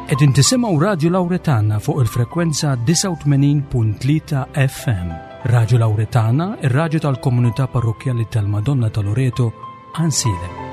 Qegħdin tisimgħu Radju Lawretana fuq il-frekwenza 89.3 FM. Radju Lawretana, ir-radju tal-komunità parrokkjali tal-Madonna ta' Loreto, Ansilem.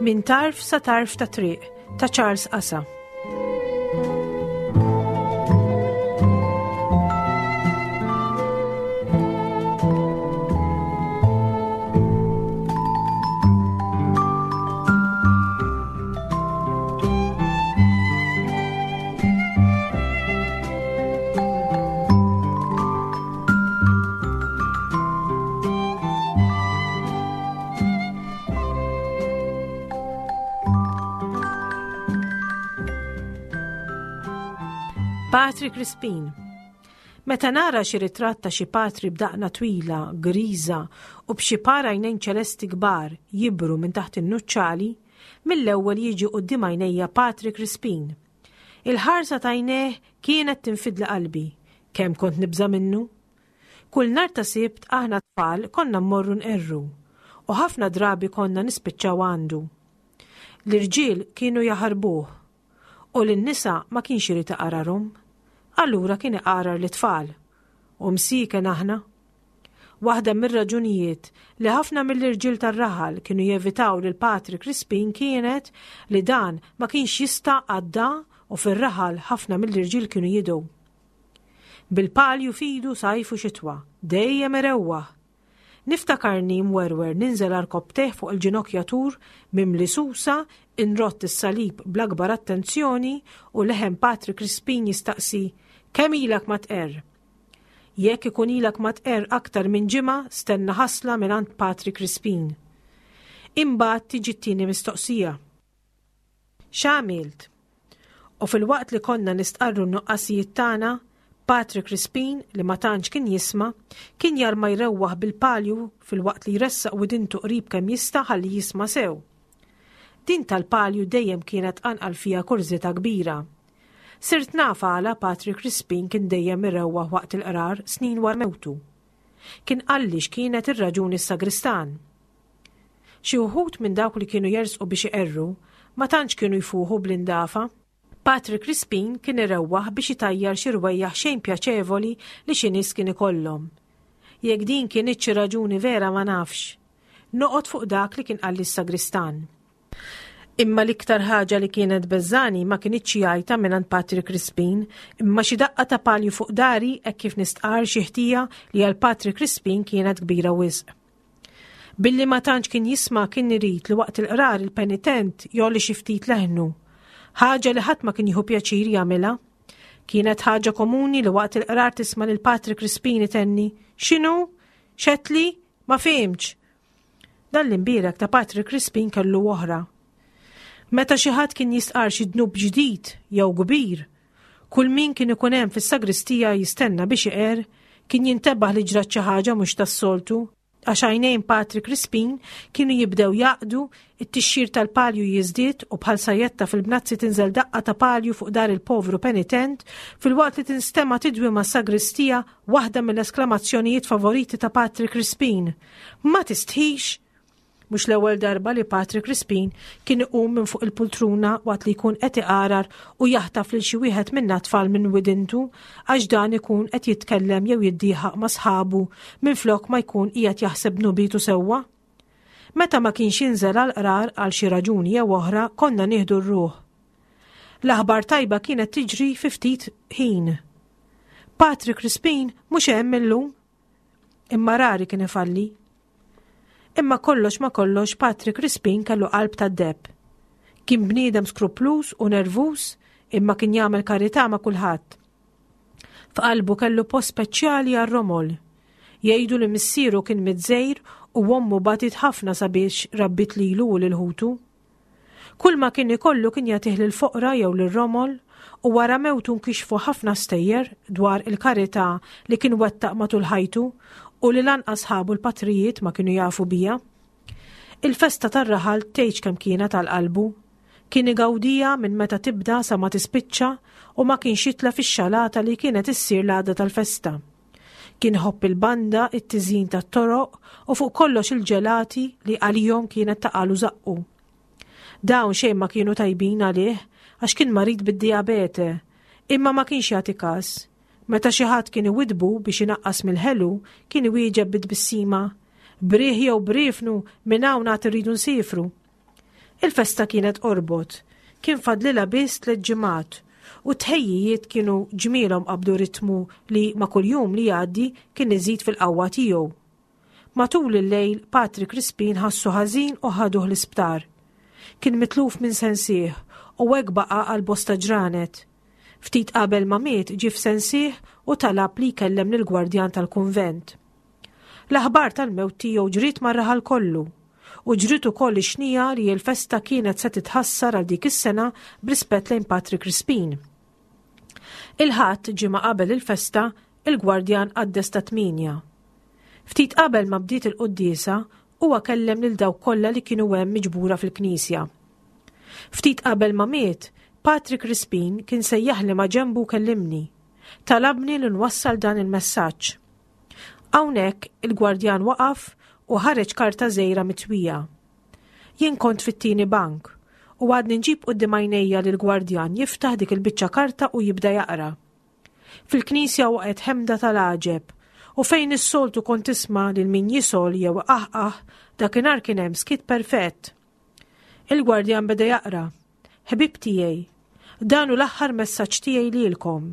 Min tarf sa tarf ta' triq ta' Charles Asa. Patri Crispin. Meta nara xi ritratt ta' xi patri b'daqna twila, griża u b'xi par għajnejn ċelesti kbar jibru minn taħt in-nuċċali, mill-ewwel jiġi quddiem għajnejja Patri Crispin. Il-ħarsa t'għajnejh kienet tinfidli qalbi. Kemm kont nibża' minnu! Kull nhar ta' Sibt aħna t-tfal konna mmorru nqerru u ħafna drabi konna nispiċċaw għandu. L-irġiel kienu jaħarbuh u lin-nisa ma kienx irid iqararhom. Allura kien iqarar lit-tfal. U msieken aħna. Waħda mir-raġunijiet li ħafna mill-irġiel tar-raħal kienu jevitaw lil Patri Crispin kienet li dan ma kienx jista' għadda u fir-raħal ħafna mill-irġiel kienu jidgħu. Bil-palju f'idu sajf u xitwa, dejjem irewwaħ. Niftakarni mwerwer ninżel għarkopptejh fuq il-ġinokjatur mimli susa, inrott is-salib bl-akbar attenzjoni u leħen Patri Crispin jistaqsi, Kemm ilek ma tqerr? Jekk ikun ilek ma tqerr aktar minn ġimgħa, stenna ħasla mingħand Patri Crispin. Imbagħad tiġi t-tieni mistoqsija. X'għamilt? U filwaqt li konna nistqarru n-nuqqasijiet tagħna, Patri Crispin, li ma tantx kien jisma', kien jarma jrewwaħ bil-palju filwaqt li jressaq widintu qrib kemm jista' ħalli jisma' sew. Din tal-palju dejjem kienet tqanqal fija kurżità kbira. Sirt naf għala Patri Crispin kien dejjem irewwaħ waqt il-qrar snin wara mewtu. Kien qalli x'kienet ir-raġuni s-sagristan. Xi wħud minn dawk li kienu jersqu biex iqerru ma tantx kienu jfuħu bl-indafa. Patri Crispin kien irewwaħ biex itajjar xi rwejjaħ xejn pjaċevoli li xi nies kien ikollhom. Jekk din kinitx xi raġuni vera ma nafx. Noqgħod fuq dak li kien qalli s-sagristan. Imma l-iktar ħaġa li kienet beżżagħni ma kinitx xi għajta mingħand Patri Crispin, imma xi daqqa ta' palju fuq dari hekk kif nistqarr xi ħtija li għal Patri Crispin kienet kbira wisq. Billi ma tantx kien jisma' kien irid li waqt il-qrar il-penitent jgħolli xi ftit leħnu. Ħaġa li ħadd ma kien jieħu pjaċir jagħmilha. Kienet ħaġa komuni li waqt il-qrar tisma' lil Patri Crispin itenni, X'inhu? X'għedtli? Ma fhimtx! Dan l-imbierek ta' Patri Crispin kellu oħra. Meta xi ħadd kien jistqarr xi dnub ġdid jew kbir, Kull min kien ikun hemm fis-sagristija jistenna biex iqerr, kien jintebaħ li ġrat xi ħaġa mhux tas-soltu, għax għajnejn Patri Crispin kienu jibdew jgħaqqdu, it-tixxir tal-palju jiżdied u bħal sajjetta fil-bnazzi tinżel daqqa ta' palju fuq dar il-povru penitent filwaqt li tinstema' tidwi mas-sagristija waħda mill-esklamazzjonijiet favoriti ta' Patri Crispin, Ma tistħix! Mhux l-ewwel darba li Patri Crispin kien iqum minn fuq il-pultruna waqt li jkun qed iqarar u jaħtaf lil xi wieħed minna tfal minn widintu għax dan ikun qed jitkellem jew jiddieħaq ma' sħabu minflok ma jkun qiegħed jaħseb dnubitu sewwa. Meta ma kienx jinżel għall-qrar għal xi raġuni jew oħra konna nieħdu r-ruħ. L-aħbar tajba kienet tiġri fi ftit ħin. Patri Crispin mhux hemm illum. Imma rari kien ifalli. Imma kollox ma kollox Patri Crispin kellu qalb tad-deheb. Kien bniedem skrupluż u nervuż imma kien jagħmel karità ma' kulħadd. F'qalbu kellu post speċjali għar-romol. Jgħidu li missieru kien miż-Żejr u ommu batiet ħafna sabiex rabbiet lilu u lil ħutu. Kull ma kien ikollu kien jagħtih lill-foqra jew lir-romol u wara mewtu nkixfu ħafna stejjer dwar il-karità li kien wettaq matul ħajtu u li lanqas sħabu l-patrijiet ma kienu jafu biha. Il-festa tar-raħal tgħidx kemm kienet għal qalbu. Kien igawdiha minn meta tibda sa ma tispiċċa u ma kienx jitlef ix-xalata li kienet issir l-għada tal-festa. Kien iħobb il-banda, it-tiżjin tat-toroq u fuq kollox il-ġelati li għalihom kienet taqalu żaqqu. Dawn xejn ma kienu tajbin għalih għax kien marid bid-dijabete, imma ma kienx jagħti każ. Meta xi ħadd kien iwiddbu biex inaqqas mill-ħelu, kien iwieġeb bi tbissima, B'riħ jew b'riefnu minn hawn għad irridu nsiefru. Il-festa kienet qorbot. Kien fadlilha biss tlett ġimgħat u t-tħejjijiet kienu ġmielhom qabdu ritmu li ma' kull jum li jgħaddi kien iżid fil-qawwa tiegħu. Matul il-lejl Patri Crispin ħassu ħażin u ħaduh l-isptar. Kien mitluf minn sensih u hekk baqa' għal bosta ġranet. Ftit qabel ma miet ġie f'sensih u talab li jkellem lill-gwardjan tal-kunvent. L-aħbar tal-mewt tiegħu ġriet mar-raħal kollu, u ġriet ukoll ix-xnija li l-festa kienet se titħassar għal dik is-sena b'rispett lejn Patri Crispin. Il-Ħadd, ġimgħa qabel il-festa, il-gwardjan qaddes tat-tmienja. Ftit qabel ma bdiet il-quddiesa, huwa kellem lil dawk kollha li kienu hemm miġbura fil-knisja. Ftit qabel ma miet, Patri Crispin kien sejjaħli ma' ġenbu u kellimni. Talabni li nwassal dan il-messaġġ. Hawnhekk il-gwardjan waqaf u ħareġ karta żgħira mitwija. Jien kont fit-tieni bank u għadni nġib quddiem għajnejja li l-gwardjan jiftaħ dik il-biċċa karta u jibda jaqra. Fil-knisja waqgħet ħemda tal-għaġeb u fejn is-soltu kont tisma' lil min jisgħol jew iqaħqaħ, dakinhar kien hemm skiet perfett. Il-gwardjan beda jaqra. Ħbieb tiegħi, dan hu l-aħħar messaġġ tiegħi lilkom.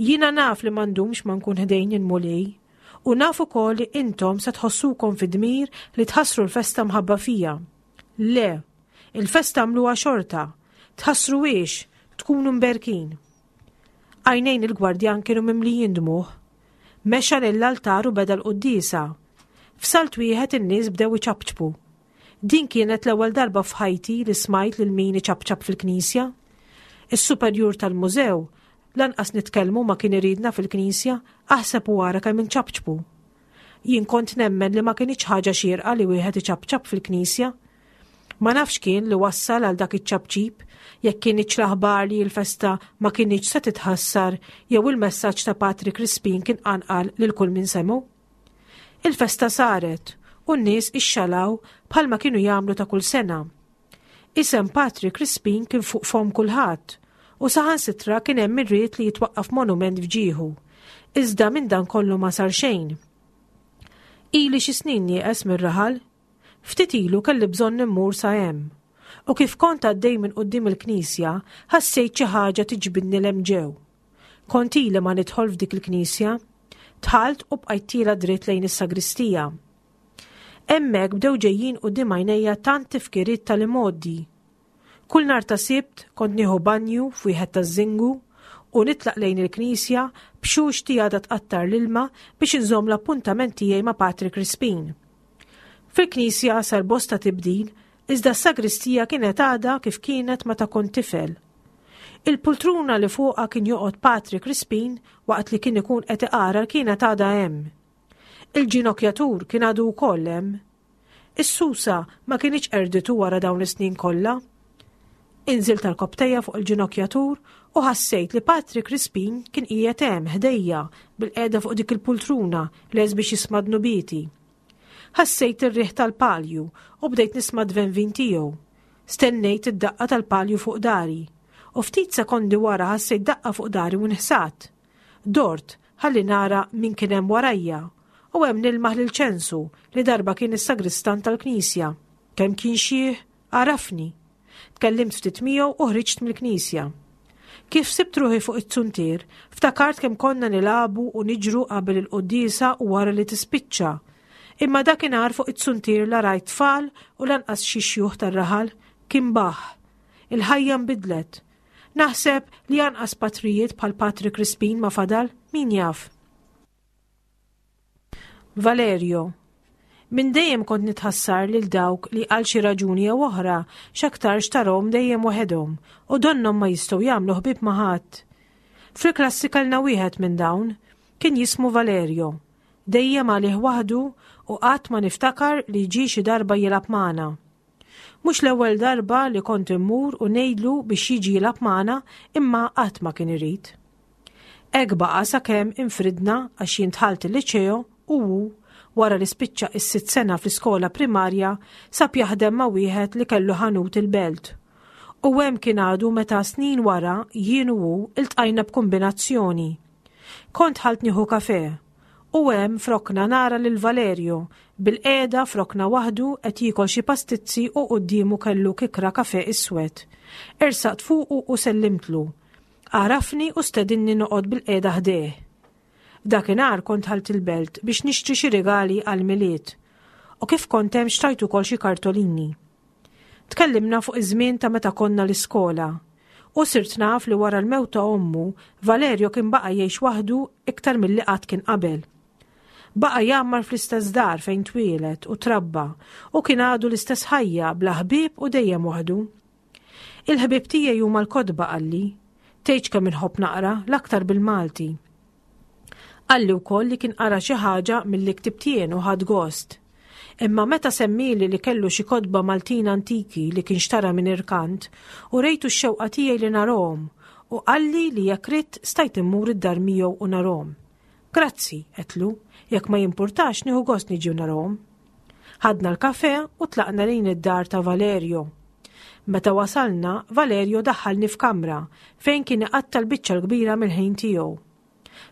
Jiena naf li ma ndumx ma nkun ħdejn il-Mulej, u naf ukoll li intom se tħossukom fid-dmir li tħassru l-festa mħabba fija. Le, il-festa għamluha xorta, tħassruhiex, tkunu mberkin. Għajnejn il-gwardjan kienu mimlijin dmugħ. Mexa lill-altar u beda l-quddiesa. F'salt wieħed in-nies bdew iċapċpu. Din kienet l-ewwel darba f'ħajti li smajt lil min iċapċap fil-knisja. Is-superjur tal-mużew lanqas nitkellmu ma kien iridna fil-knisja, aħseb u ara kemm inċapċpu. Jien kont nemmen li ma kinitx ħaġa xierqa li wieħed iċapċap fil-knisja. Ma nafx kien li wassal għal dak iċ-ċapċip, jekk kinitx l-aħbar li l-festa ma kinitx se titħassar jew il-messaġġ ta' Patri Crispin kien qanqal lil kull min semgħu. Il-festa saret u n-nies ixxalaw bħalma kienu jagħmlu ta' kull sena. Isem Patri Crispin kien fuq fomm kulħadd u saħansitra kien hemm min ried li jitwaqqaf monument f'ġieħu. Iżda minn dan kollu ma sar xejn. Ili xi snin nieqes mir-raħal. Ftit ilu kelli bżonn immur sa hemm. U kif kont għaddej minn quddiem il-knisja, ħassejt xi ħaġa tiġbidni 'l hemm ġew. Kont ili ma nidħol f'dik il-knisja. Dħalt u bqajt tiela' dritt lejn is-sagristija. Hemmhekk bdew ġejjin quddiem għajnejja tant tifkiriet tal-imgħoddi. Kull nhar ta' Sibt kont nieħu banju f'wieħed taż-żingu u nitlaq lejn il-knisja b'xuxti għadha tqattar l-ilma biex inżomm l-appuntament tiegħi ma' Patri Crispin. Fil-knisja sar bosta tibdil iżda s-sagristija kienet għadha kif kienet meta kont tifel. Il-pultruna li fuqha kien joqgħod Patri Crispin waqt li kien ikun qed iqarar kienet għadha hemm. Il-ġinokjatur kien għadu wkoll hemm. Is-susa ma kinitx qerditu wara dawn is-snin kollha. Inżilt għarkopptejja fuq il-ġinokjatur u ħassejt li Patri Crispin kien qiegħed hemm ħdejja bil-qiegħda fuq dik il-pultruna lest biex jisma' dnubieti. Ħassejt ir-riħ tal-palju u bdejt nisma' d-dvenvin tiegħu. Stennejt id-daqqa tal-palju fuq dari. U ftit sekondi wara ħassejt daqqa fuq dari u nħsat. Dort ħalli nara min kien hemm warajja u hemm nilmaħ lil Ċensu li darba kien is-sagristan tal-knisja. Kemm kien xiħ, għarafni. Tkellimt ftit miegħu u ħriġt mill-knisja. Kif sibt ruħi fuq it-zuntier, ftakart kemm konna nilagħbu u niġru qabel il-quddiesa u wara li tispiċċa. Imma dakinhar fuq it-zuntier la rajt tfal u lanqas xi xjuħ tar-raħal, kien baħ. Il-ħajja nbidlet. Naħseb li anqas patrijiet bħal Patri Crispin ma fadal, min jaf. Valerio. Minn dejjem kont nitħassar lil dawk li għal xi raġuni jew oħra x'aktarx tarahom dejjem waħedhom u donnhom ma jistgħu jagħmlu ħbieb ma' ħadd. Fil-klassi kellna wieħed minn dawn, kien jismu Valerio. Dejjem għalih waħdu u qatt ma niftakar li ġie xi darba jilgħab magħna. Mhux l-ewwel darba li kont immur u ngħidlu biex jiġi jilgħab magħna imma qatt ma kien irid. Hekk baqa' sakemm infridna għax jien dħalt il-liċeo u hu, wara li spiċċa is-sitt sena fl-iskola primarja, sab jaħdem ma' wieħed li kellu ħanut il-Belt. U hemm kien għadu meta snin wara jien u hu ltqajna b'kumbinazzjoni. Kont dħalt nieħu kafè u hemm f'rokna nara lil Valerio bilqiegħda f'rokna waħdu qed jiekol xi pastizzi u quddiemu kellu kikra kafè iswed. Ersaqt fuqu u sellimtlu. Għarafni u stedinni noqgħod bilqiegħda ħdejh. Dakinhar kont dħalt il-Belt biex nixtri xi rigali għall-Milied u kif kont hemm xtrajt ukoll xi kartolini. Tkellimna fuq iż-żmien ta' meta konna l-iskola u sirt naf li wara l-mewt ta' ommu, Valerio kien baqa' jgħix waħdu iktar milli qatt kien qabel. Baqa' jgħammar fl-istess dar fejn twieled u trabba u kien għadu l-istess ħajja bla ħbieb u dejjem waħdu. Il-ħbieb tiegħi huma l-kotba qalli. Tgħidx kemm inħobb naqra, l-aktar bil-Malti. Qalli wkoll li kien qara xi ħaġa milli ktibt jien u ħadd gost. Imma meta semmieli li kellu xi kotba Maltin antiki li kien xtara minn irkant, urejtu x-xewqa tiegħi li narahom u qalli li jekk ridt stajt immur id-dar miegħu u narahom. Grazzi, għedtlu, jekk ma jimpurtax nieħu gost niġi u narahom. Ħadna l-kafè u tlaqna lejn id-dar ta' Valerio. Meta wasalna, Valerio daħħalni f'kamra fejn kien iqatta' l-biċċa l-kbira mill-ħin tiegħu.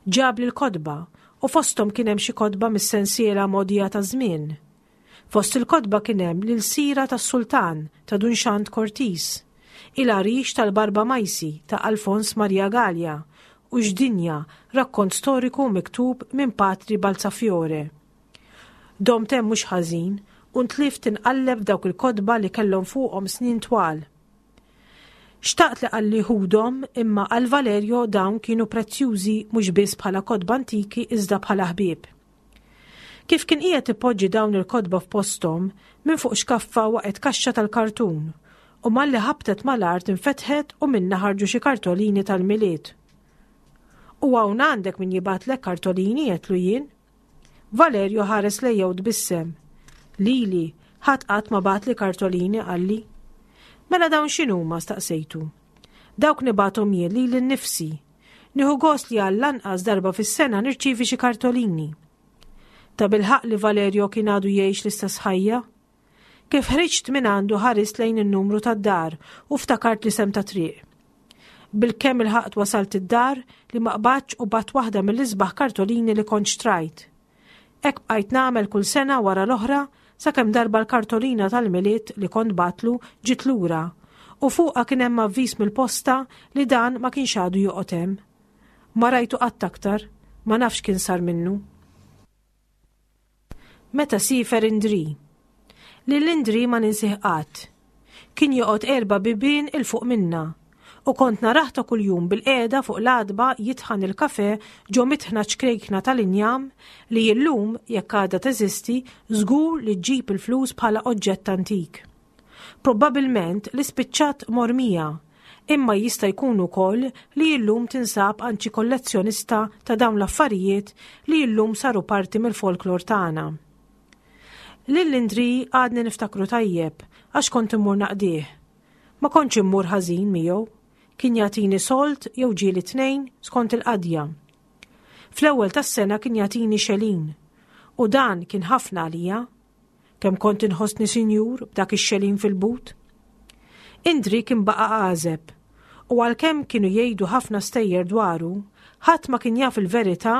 Ġabli l-kotba u fosthom kien hemm xi kotba mis-sensiela Mogħdija taż-Żmien. Fost il-kotba kien hemm L-Ilsira tas-Sultan ta' Dun Xand Cortis, Il-Għarix tal-Barba Majsi ta' Alfons Maria Galea u X'Dinja, rakkont storiku miktub minn Patri Balzafiore. Domt hemm mhux ħażin u ntlift inqalleb f'dawk il-kotba li kellhom fuqhom snin twal. Xtaqt li qalli ħudhom imma għal Valerio dawn kienu prezzjużi mhux biss bħala kotba antiki iżda bħala ħbieb. Kif kien qiegħed ipoġġi dawn il-kotba f'posthom, minn fuq xkaffa waqgħet kaxxa tal-kartun u malli ħabtet mal-art infetħet u minnha ħarġu xi kartolini tal-Milied. U hawn għandek min jibgħatlek kartolini għedtlu jien. Valerio ħares lejja u tbissem. Lili, ħadd qatt ma bagħatli kartolini qalli. Mela dawn x'inhuma staqsejtu. Dawk nibgħathom jien lili nnifsi. Nieħu gost li għall-anqas darba fis-sena nirċievi xi kartolini. Tabilħaqq li Valerio kien għadu jgħix l-istess ħajja. Kif ħriġt minn għandu ħarist lejn in-numru tad-dar u ftakart l-isem ta' triq. Bilkemm ilħaqt wasalt id-dar li ma qbadtx u bgħatt waħda mill-isbaħ kartolini li kont xtrajt. Hekk bqajt nagħmel kull sena wara l-oħra sakemm darba l-kartolina tal-Milied li kont bgħattlu ġiet lura u fuqha kien hemm avviż mill-posta li dan ma kienx għadu joqgħod hemm. Ma rajtu qatt aktar, ma nafx x'kien sar minnu. Meta siefer Indri. Lil Indri ma ninsih qatt. Kien joqgħod erba' bibien 'il fuq minna. U kont narah ta' kuljum bilqiegħda fuq l-għatba jitħan il-kafè ġo mitħna ċkrejkna tal-injam li illum, jekk għadha teżisti, żgur li ġġib il-flus bħala oġġett antik. Probbabilment li spiċċat mormija, imma jista' jkun ukoll li illum tinsab għand xi kollezzjonista ta' dawn l-affarijiet li illum saru parti mill-folklor tagħna. Lil Indri għadni niftakru tajjeb għax kont immur naqdih. Ma kontx immur ħażin miegħu. Kien jagħtini sold jew ġieli tnejn skont il-qadja. Fl-ewwel tas-sena kien jagħtini xelin u dan kien ħafna għalija. Kemm kont inħossni sinjur b'dak ix-xelin fil-but. Indri kien baqa' għażeb u għalkemm kienu jgħidu ħafna stejjer dwaru, ħadd ma kien jaf il-verità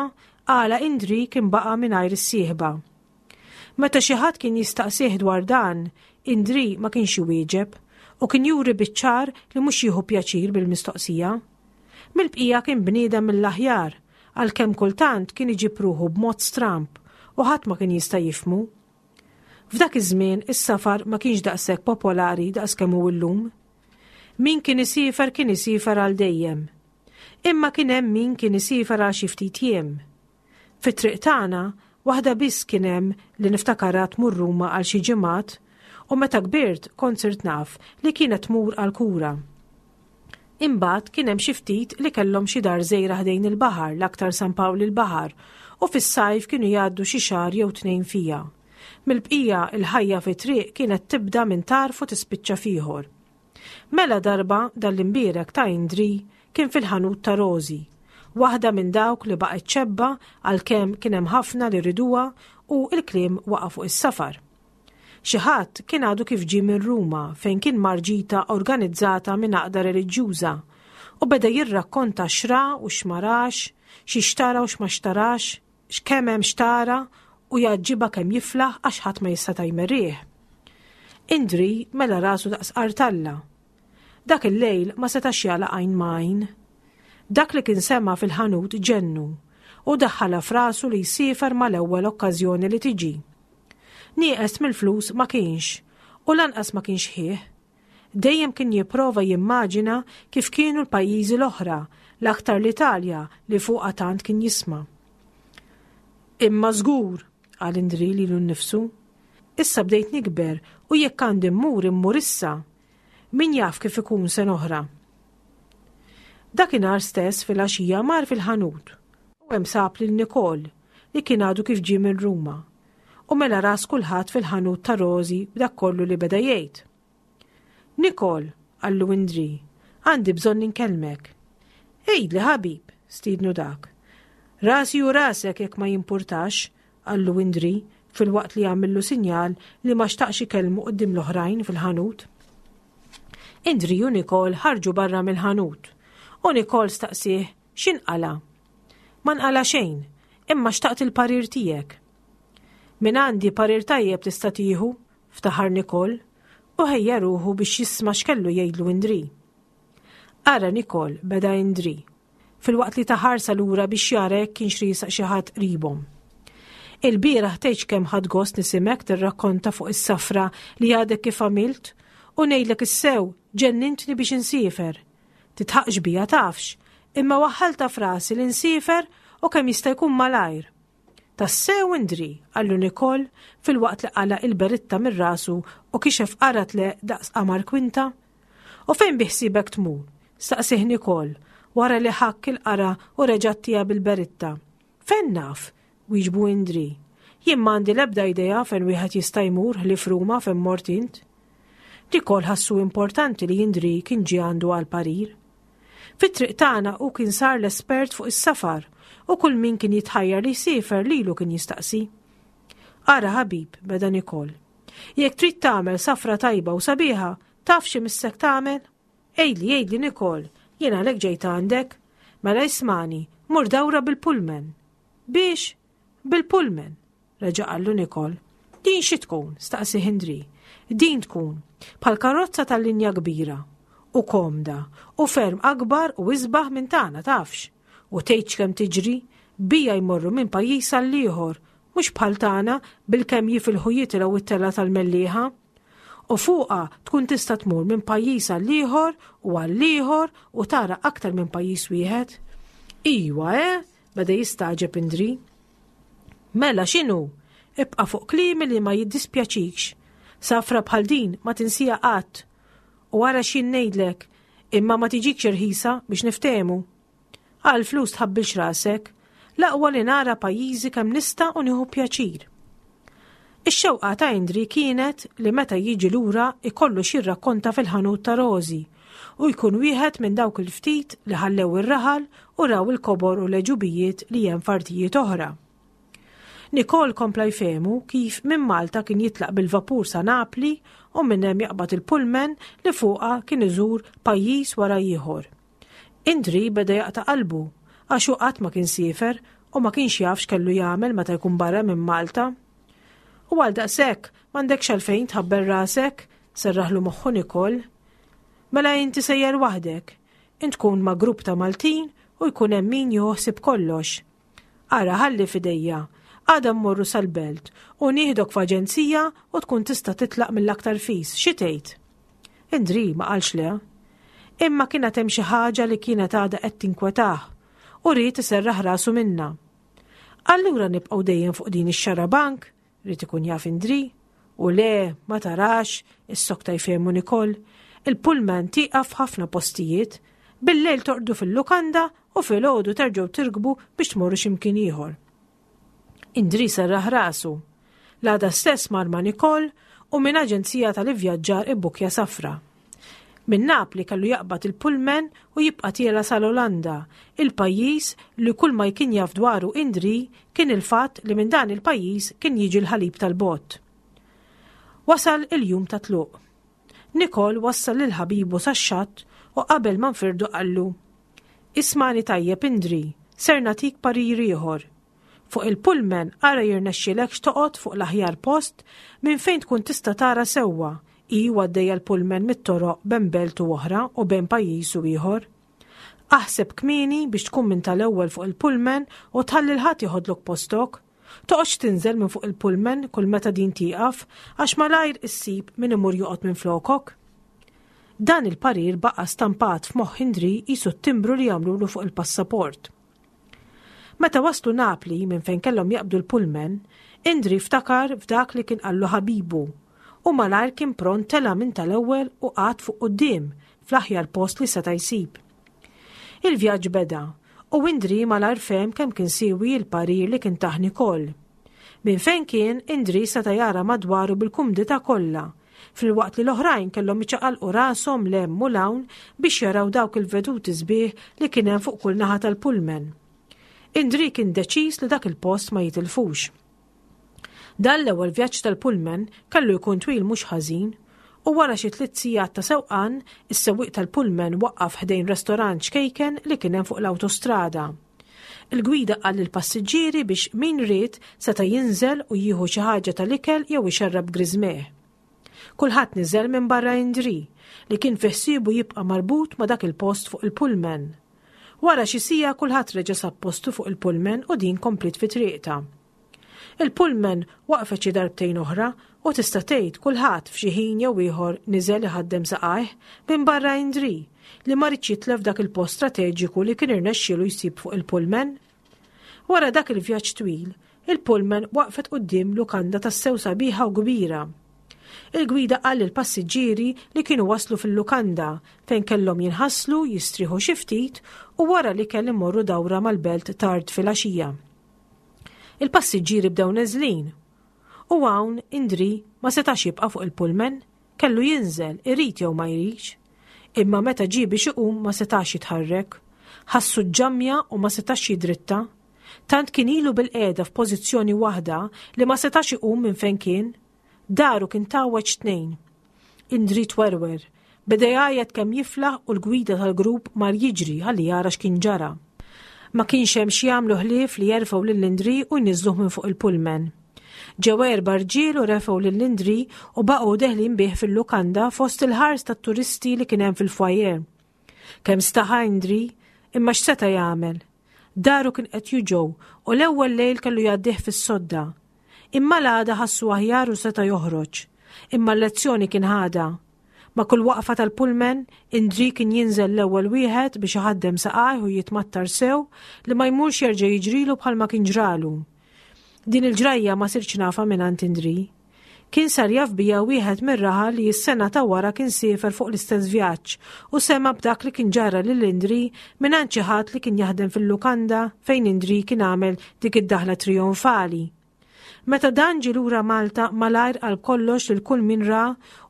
għala Indri kien baqa' mingħajr is-sieħba. Meta xi ħadd kien jistaqsih dwar dan, Indri ma kienx iwieġeb u kien juri biċ-ċar li mhux jieħu pjaċir bil-mistoqsija. Mill-bqija kien bniedem mill-aħjar, għalkemm kultant kien iġib ruħu b'mod stramb u ħadd ma kien jista' jifhmu. F'dak iż-żmien is-safar ma kienx daqshekk popolari daqs kemm hu llum. Min kien isiefer kien isiefer għal dejjem. Imma kien hemm min kien isiefer għal xi ftit jiem. Fit-triq tagħna, Waħda biss kien hemm li niftakarha tmur Ruma għal xi ġimgħat u meta kbirt kont sirt naf li kienet tmur għall-kura. Imbagħad kien hemm xi ftit li kellhom xi dar żgħira ħdejn il-baħar, l-aktar San Pawl il-Baħar, u fis-sajf kienu jgħaddu xi xahar jew tnejn fiha. Mill-bqija, il-ħajja fit-triq kienet tibda minn tarf u tispiċċa f'ieħor. Mela darba dan l-imbierek ta' Indri kien fil-ħanut ta' Rożi, waħda minn dawk li baqgħet xebba għalkemm kien hemm ħafna li riduha u l-kliem waqa' fuq is-safar. Xi ħadd kien għadu kif ġie minn Ruma fejn kien mar ġita organizzata minn għaqda reliġjuża u beda jirrakkonta x'ra u x'ma rax, xi xtara u x'ma xtarax, x'kemm hemm xtara u jgħaġġibha kemm jiflaħ għax ħadd ma jista' jmerrih. Indri mela rasu daqs qartalla. Dak il-lejl ma setax jagħlaq għajn ma' għajn. Dak li kien sema' fil-ħanut ġennu u daħħalha f'rasu li jsiefer mal-ewwel okkażjoni li tiġi. Nieqes mill-flus ma kienx, u lanqas ma kien xħiħ. Dejjem kien jipprova jimmaġina kif kienu l-pajjiżi l-oħra, l-aktar l-Italja li fuqha tant kien jisma'. Imma żgur, qal Indri lilu nnifsu, issa bdejt nikber u jekk għandi mmur immur issa. Min jaf kif ikun sena oħra. Dakinhar stess filgħaxija mar fil-ħanut u hemm sab lil Nicole li kien għadu kif ġie minn Ruma u mela ras kulħadd fil-ħanut ta' Rosi b'dak kollu li beda jgħid. Nicole, qallu Indri, għandi bżonn inkellmek. Għidli ħabib, stiednu dak. Rasi u rasek jekk ma jimpurtax, qallu Indri filwaqt li għamillu sinjal li ma xtaqx ikellmu quddiem l-oħrajn fil-ħanut. Indri u Nicole ħarġu barra mill-ħanut u Nicole staqsieh x'inqala'. Ma nqala' xejn, imma xtaqt il-parir tiegħek. Min għandi parir tajjeb tista' tieħu, ftaħar Nicole, u ħejja ruħu biex jisma' x'kellu jgħidlu Indri. Ara Nicole, beda Indri, filwaqt li ta ħarsa lura biex jara jekk kienx riesaq xi ħadd qribhom. Ilbieraħ tgħidx kemm ħadt gost nisimgħek tirrakkonta fuq is-safra li għadek kif għamilt u ngħidlek is-sew ġennintni biex insiefer. Titħaqx bija tafx, imma waħħaltha f'rasi li nsiefer u kemm jista' jkun malajr. Tassew Indri, qallu Nicole filwaqt li qala' il-beritta minn rasu u kixef qarat le daqs qamar kwinta. U fejn biħsiebek tmur? staqsieh Nicole wara li ħakk il-qara u reġa' ttiha bil-beritta. Fejn naf? wieġbu Indri. Jien m'għandi l-ebda idea fejn wieħed jista' jmur ħlief Ruma fejn mort int. Nicole ħassu importanti li Indri kien ġie għandu għal parir. Fit-triq tagħna hu kien sar l-espert fuq is-safar u kull min kien jitħajjar li jsiefer lilu kien jistaqsi. Ara ħabib, beda Nicole. Jekk trid tagħmel safra tajba u sabiħa, taf xi missek tagħmel? Għidli, għidli Nicole, jien għalhekk ġejt għandek. Mela ismagħni, mur dawra bil-pullman. Biex? Bil-pullman, reġa' qallu Nicole. Din xi tkun? staqsi Hendry. Din tkun bħal karozza tal-linja kbira u komda u ferm akbar u isbaħ minn tagħna tafx. U tgħidx kemm tiġri, bija jmorru minn pajjiż għal ieħor, mhux bħal tagħna bilkemm jifilħu jitilgħu it-telgħa tal-Mellieħa. U fuqha tkun tista' tmur minn pajjiż għal ieħor u għal ieħor u tara aktar minn pajjiż wieħed. Iwa, eh? Beda jistagħġeb Indri. Mela x'inhu? Ibqa' fuq kliemi li ma jiddispjaċikx. Safra bħal din ma tinsija qatt. U ara x'jien ngħidlek, imma ma tiġikx irħisa biex niftehmu. Għal flus tħabbilx rasek, l-aqwa li nara pajjiżi kemm nista' u nieħu pjaċir. Ix-xewqa ta' Indri kienet li meta jiġi lura ikollu x'jirrakkonta fil-ħanut ta' Rożi u jkun wieħed minn dawk il-ftit li ħallew ir-raħal u raw il-kobor u l-għeġubijiet li hemm f'artijiet oħra. Nicole kompla jfehmu kif minn Malta kien jitlaq bil-vapur sa Napli u minn hemm jaqbad il-pullman li fuqha kien iżur pajjiż wara ieħor. Indri beda jaqta' qalbu għax hu qatt ma kien siefer u ma kienx jaf x'kellu jagħmel meta jkun barra minn Malta. U għal daqshekk m'għandekx għalfejn tħabbel rasek, serraħlu moħħu Nicole. Mela inti sejjer waħdek. Int tkun ma' grupp ta' Maltin u jkun hemm min jieħu ħsieb kollox. Ara ħalli f'idejja. Għada mmorru sal-belt u nieħdok f'aġenzija u tkun tista' titlaq mill-aktar fis. Xi tgħid? Indri ma qalx le. Imma kien għad hemm xi ħaġa li kienet għadha qed tinkwetah u ried iserraħ rasu minnha. Allura nibqgħu dejjem fuq din ix-xarabank, ried ikun jaf Indri. U le, ma tarax, issokta jfehmu Nicole, il-pullman tieqaf f'ħafna postijiet, bil-lejl torqdu fil-lukanda u filgħodu terġgħu tirkbu biex tmorru xi mkien ieħor. Indri serraħ rasu. L-għada stess mar ma' Nicole u minn aġenzija tal-ivvjaġġar ibbukja safra. Minn Napli kellu jaqbad il-pullman u jibqa' tiela' sal-Olanda, il-pajjiż li kull ma jkien jaf dwaru Indri kien il-fatt li minn dan il-pajjiż kien jiġi l-ħalib tal-bott. Wasal il-jum tat-tluq. Nicole wassal lil ħabibu sax-xatt u qabel ma nfirdu qallu, Ismagħni tajjeb Indri, ser nagħtik parir ieħor. Fuq il-pullman ara jirnexxilekx toqgħod fuq l-aħjar post minn fejn tkun tista' tara sewwa hi u għaddejja l-pullman mit-toroq ben belt u oħra u bejn pajjiż u ieħor. Aħseb kmieni biex tkun minn tal-ewwel fuq il-pullman u tħalli 'l ħadd jeħodlok postok. Toqgħodx tinżel minn fuq il-pullman kull meta din tieqaf għax malajr issib min imur joqgħod minflokok. Dan il-parir baqa' stampat f'moħħ Indri qisu t-timbru li jagħmlulu fuq il-passaport. Meta waslu Napli minn fejn kellhom jaqbdu l-pullman, Indri ftakar f'dak li kien qallu ħabibu u malajr kien pront tela' minn tal-ewwel u qagħad fuq quddiem fl-aħjar post li seta' jsib. Il-vjaġġ beda u Indri malajr fehem kemm kien siewi l-parir li kien tah Nicole. Minn fejn kien, Indri seta' jara madwaru bil-kumdità kollha filwaqt li l-oħrajn kellhom iċaqalqu rashom 'l hemm u 'l hawn biex jaraw dawk il-veduti sbieħ li kien hemm fuq kull naħa tal-pullman. Indri kien deċiż li dak il-post ma jitilfux. Dan l-ewwel vjaġġ tal-pullman kellu jkun twil mhux ħażin u wara xi tliet sigħat ta' sewqan, is-sewwieq tal-pullman waqqaf ħdejn restorant ċkejken li kien hemm fuq l-awtostrada. Il-gwida qal lill-passiġġieri biex min ried seta' jinżel u jieħu xi ħaġa tal-ikel jew ixerrab griżmejh. Kulħadd niżel minbarra Indri, li kien fi ħsiebu jibqa' marbut ma' dak il-post fuq il-pullman. Wara xi siegħa kulħadd reġa' sab postu fuq il-pullman u din kompliet fi triqtha. Il-pullman waqfet xi darbtejn oħra u tista' tgħid kulħadd f'xi ħin jew ieħor niżel iħaddem saqajh minbarra Indri li ma riedx jitlef dak il-post strateġiku li kien irnexxielu jsib fuq il-pullman. Wara dak il-vjaġġ twil, il-pullman waqfet quddiem lukanda tassew sabiħa u kbira. Il-gwida qal lill-passiġġieri li kienu waslu fil-lukanda fejn kellhom jinħaslu, jistrieħu xi ftit u wara l-ikel imorru dawra mal-belt tard filgħaxija. Il-passiġġieri bdew neżlin. U hawn Indri ma setax jibqa' fuq il-pullman, kellu jinżel, irid jew ma jridx. Imma meta ġie biex iqum ma setax jitħarrek. Ħassu ġġammja u ma setax jidritta. Tant kien ilu bilqiegħda f'pożizzjoni waħda li ma setax iqum minn fejn kien. Daru kien tgħawweġ tnejn. Indri twerwer. Beda jgħajjat kemm jiflaħ u l-gwida tal-grupp mar jiġri ħalli jara x'kien ġara. Ma kienx hemm x'jagħmlu ħlief li jerfgħu lil Indri u jniżżluh minn fuq il-pullman. Ġew erba' rġiel u refgħu lil Indri u baqgħu deħlin bih fil-lukanda fost il-ħars tat-turisti li kien hemm fil-foyer. Kemm staħa Indri, imma x'seta' jagħmel? Daru kien qed juġgħu u l-ewwel lejl kellu jgħaddih fis-sodda. Imma l-għada ħassu aħjar u seta' joħroġ. Imma l-lezzjoni kien ħadha. Ma' kull waqfa tal-pullman, Indri kien jinżel l-ewwel wieħed biex iħaddem saqajh u jitmattar sew li ma jmurx jerġa' jiġrilu bħalma kien ġralu. Din il-ġrajja ma sirtx nafha mingħand Indri. Kien sar jaf bija wieħed mir-raħal li s-sena ta' wara kien siefer fuq l-istess vjaġġ u sema' b'dak li kien ġara lil Indri mingħand xi ħadd li kien jaħdem fil-lukanda fejn Indri kien għamel dik id-daħla trijonfali. Meta dan ġie lura Malta malajr qal kollox lil kull min ra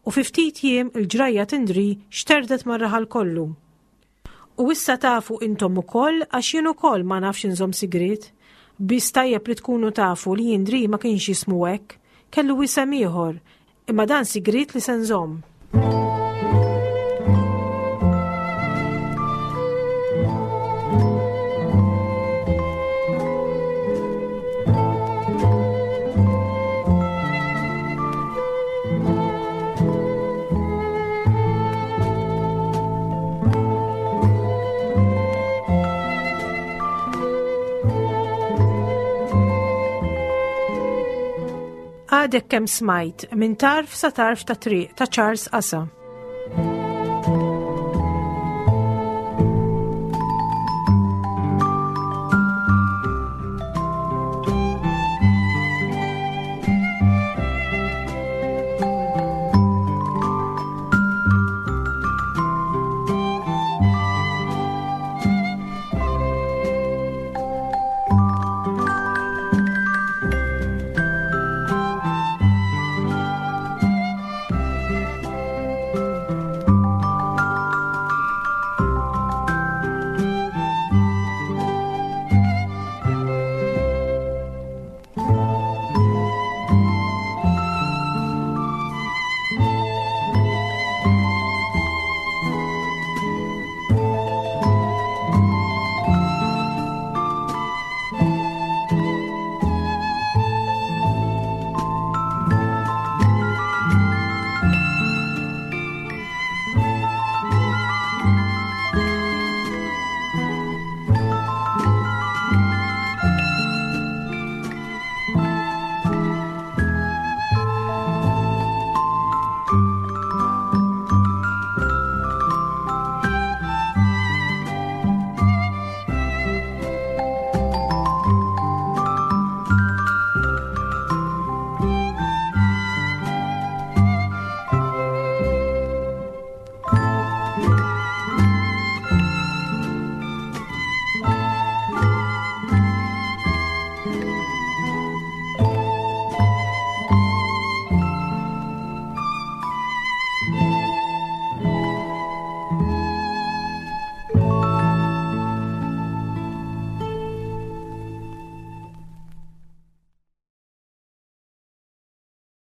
u fi ftit jiem il-ġrajja t'Indri xterdet mar-raħal kollu. U issa tafu intom ukoll għax jien ukoll ma nafx inżomm sigriet. Biss tajjeb li tkunu tafu li Indri ma kienx jismu hekk, kellu isem ieħor, imma dan sigriet li se nżomm. Għadek kemm smajt minn tarf sa tarf ta' triq ta' Charles Asa. Thank you.